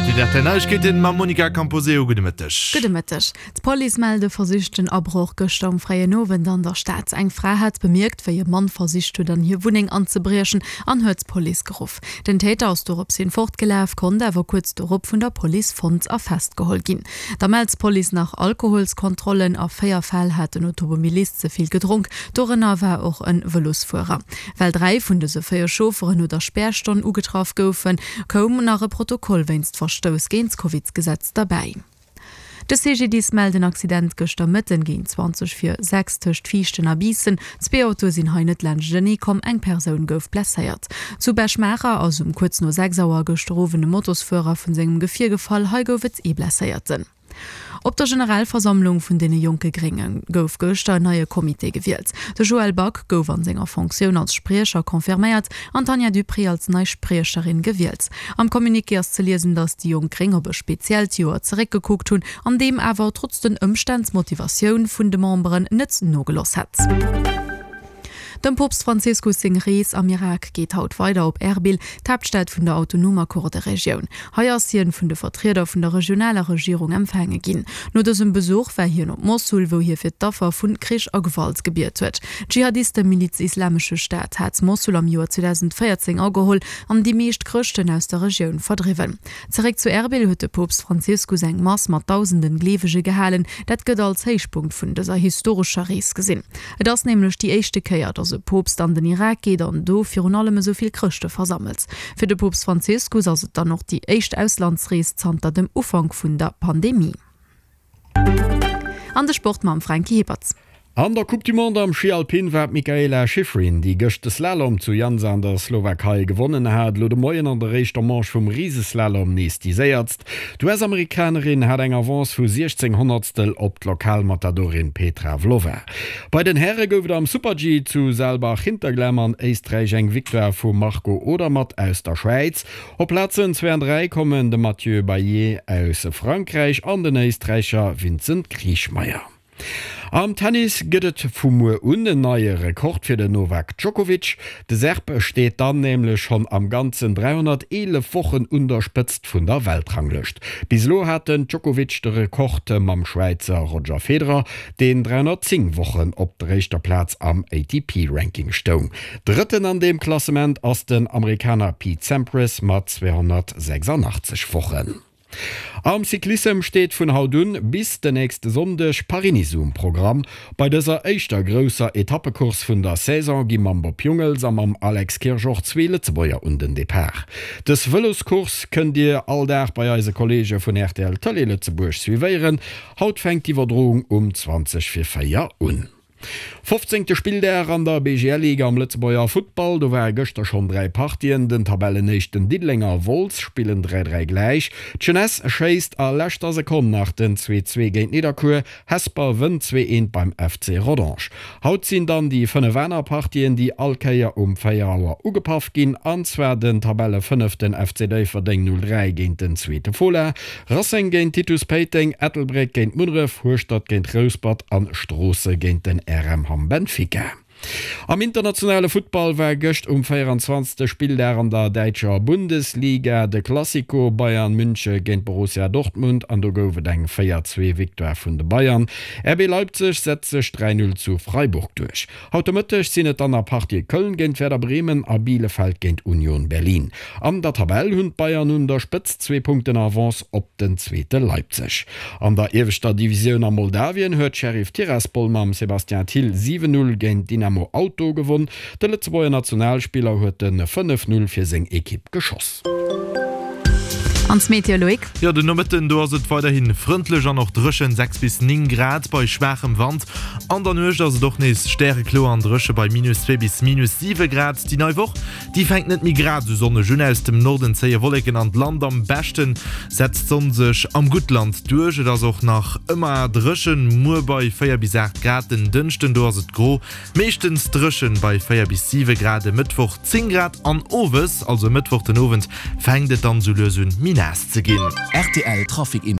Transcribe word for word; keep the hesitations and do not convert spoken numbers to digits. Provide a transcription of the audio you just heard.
Zäit fir d'RTL Neiegkeeten mam Monica Camposeo. Gudde Mëtteg. Gudde Mëtteg. D'Police mellt e versichten Abroch gëschter um fréien Owend an der Stad. Eng Fra hat bemierkt, wéi e Mann versicht huet, an hir Wunneng anzebriechen an huet d'Police geruff. Den Täter ass dorops hin fortgelaf, konnt awer kuerz dorop vun der Police fonnt a festgeholl ginn. Da mellt d'Police nach Alkoholskontrollen. A véier Fäll hat den Automobilist ze vill gedronk, dorënner war och e Vëlosfuerer. Well dräi vun dëse véier Chaufferen no der Spärstonn ugetraff goufen, koum nach e Protokoll wéinst Verstouss géint d'Covidsgesetz derbäi. De CGDIS mellt en Accident gëschter Mëtten géint zwanzeg vir sechs tëscht Viichten a Biissen. Zwee Autoe sinn hei net laanschtenee komm, eng Persoun gouf blesséiert. Zu Bech-Maacher ass um kuerz no sechs Auer gëschter Owend e Motosfuerer vun sengem Gefier gefall, hei gouf et ee Blesséierten. Op der Generalversammlung vun deene jonke Grénge gouf gëschter en neie Comité gewielt. De Joël Back gouf an senger Fonctioun als Spriecher confirméiert an d'Tanja Duprez als nei Spriecherin gewielt. Am Communiqué ass ze liesen, datt déi jonk Gréng op e speziellt Joer zeréckgekuckt hunn, an deem awer trotz den Ëmstänn d'Motivatioun vun de Memberen net nogeloss hätt. Dem Poopst Franziskus seng Rees am Irak geet haut weider op Erbil, d'Haaptstad vun der autonomer Kurderegioun. Hei ass hien vun de Vertrieder vun der regionaler Regierung empfaange ginn. No dësem Besuch war hien op Mossul, wou hie fir d'Affer vun Krich a Gewalt gebiet huet. D'Dschihadistemiliz Islamesche Staat hat Mossul am Joer zweedausendvéierzéng ageholl an déi meescht Chrëschten aus der Regioun verdriwwen. Zeréck zu Erbil huet de Poopst Franziskus eng Mass mat dausenden Gleewege gehalen. Dat gëtt als Héichpunkt vun dëser historescher Rees gesinn. Et ass nämlech déi éischte Kéier, datt e Poopst an den Irak geet an do virun allem esou vill Chrëschte versammelt. Fir de Poopst Franziskus ass et dann och déi éischt Auslandsrees zanter dem Ufank vun der Pandemie. An de Sport mam Franky Hippert. An der Coupe du Monde am Schi Alpin war d'Mikaela Shiffrin, déi gëscht de Slalom zu Jansa an der Slowakei gewonnen hat, elo de Moien an der éischter Manche vum Riseslalom nees déi Séierst. D'U S-Amerikanerin hat eng Avance vu siechzéng Honnertstel op d'Lokalmatadorin Petra Vlhova. Bei den Häre gouf et am Super-G zu Saalbach-Hinterglemm an Éisträich eng Victoire vum Marco Odermatt aus der Schwäiz. Op Plazen zwee an dräi kommen de Mathieu Baillet aus Frankräich an den Éisträicher Vincent Kriechmayr. Am Tennis gëtt et vu muer un en neie Rekord fir den Novak Djokovic. De Serb steet dann nämlech schonn am Ganzen dräihonnerteelef Wochen un der Spëtzt vun der Weltranglëscht. Bis elo hat den Djokovic de Rekord mam Schwäizer Roger Federer, deen dräihonnertzéng Wochen op der éischter Plaz am A T P-Ranking stoung. Drëtten an deem Klassement ass den Amerikaner Pete Sampras mat zweehonnertsechsandachtzeg Wochen. Am Cyclissem steet vun haut un bis den nächste Sonndeg Paris-Nice um Programm. Bei dëser éischter grousser Etappecourse vun der Saison gi mam Bob Jungels a mam Alex Kirsch och zwee Lëtzebuerger un den Depart. Dës Vëloscourse kënnt Dir all Dag bei eise Kolleege vun R T L Tëlee Lëtzebuerg suivéieren. Haut fänkt d'Iwwerdroung um zwanzeg vir véier un. Fofzéngte Spilldag an der B G L-Liga am Lëtzebuerger Futtball. Do ware gëschter schonn dräi Partien. Den Tabellenéischten Diddeleng a Wolz spillen dräi dräi gläich. D'Jeunesse schéisst a leschter Sekonn nach den zwee zwee géint Nidderkuer. Hesper wënnt zwee eent beim F C Rodange. Haut sinn dann déi fënnef aner Partien, déi all Kéier um véier Auer ugepaff ginn. An zwar den Tabellefënneften F C Déifferdeng null dräi géint den zweete Fola, Racing géint Titus Péiteng, Ettelbréck géint Munneref, Hueschtert géint Rouspert an Stroosse géint den R M Hamm Benfica. Am internationale Futtball war gëscht um véieranzwanzegste Spilldag an der däitscher Bundesliga de Clasico Bayern Münche géint Borussia Dortmund an do gouf et eng véier zwee Victoire vun de Bayern. R B Leipzig setzt sech dräi null zu Freiburg duerch. Haut de Mëtteg sinn et dann nach Partië Köln géint Werder Bremen a Bielefeld géint Union Berlin. An der Tabell hunn d'Bayern un der Spëtzt zwee Punkten Avance op den Zweete Leipzig. An der ieweschter Divisioun a Moldawien huet Sheriff Tiraspol mam Sébastien Thill siwen null géint Dinamo Auto gewonn. De Lëtzebuerger Nationalspiller huet de fënnef null fir seng Ekipp geschoss. An d'Meteo, Loïc? Jo, den Nomëtten do ass et weiderhi frëndlech an och dréchen, sechs bis néng Grad bei schwaachem Wand. An der Nuecht ass et och nees stärekloer an dréche bei minus zwee bis minus siwe Grad. Déi nei Woch, déi fänkt net méi grad esou sonneg un. Aus dem Norden zéie Wolleken an d'Land, am beschte setzt d'Sonn sech am Guttland duerch. Et ass och nach ëmmer dréchen, muer bei véier bis aacht Grad. Den Dënschden do ass et gro, meeschtens dréchen bei véier bis siwe Grad. E Mëttwoch zéng Grad an owes, also e Mëttwoch den Owend, fänkt et dann sou lues un méi naass ze ginn. R T L Trafic.